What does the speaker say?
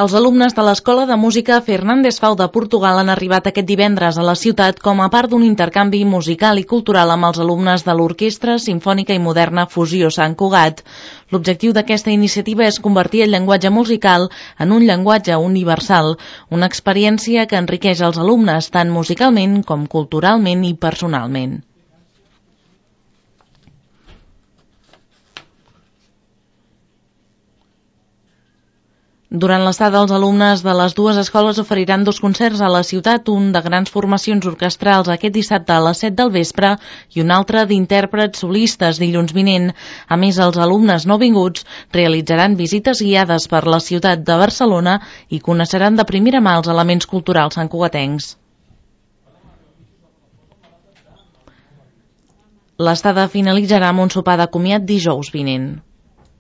Els alumnes de l'Escola de Música Fernández Fau de Portugal han arribat aquest divendres a la ciutat com a part d'un intercanvi musical i cultural amb els alumnes de l'Orquestra Simfònica i Moderna Fusió Sant Cugat. L'objectiu d'aquesta iniciativa és convertir el llenguatge musical en un llenguatge universal, una experiència que enriqueix els alumnes tant musicalment com culturalment i personalment. Durant l'estada, els alumnes de les dues escoles oferiran 2 concerts a la ciutat, un de grans formacions orquestrals aquest dissabte a les 7 del vespre i un altre d'intèrprets solistes dilluns vinent. A més, els alumnes nouvinguts realitzaran visites guiades per la ciutat de Barcelona i coneixeran de primera mà els elements culturals santcugatencs. L'estada finalitzarà amb un sopar de comiat dijous vinent.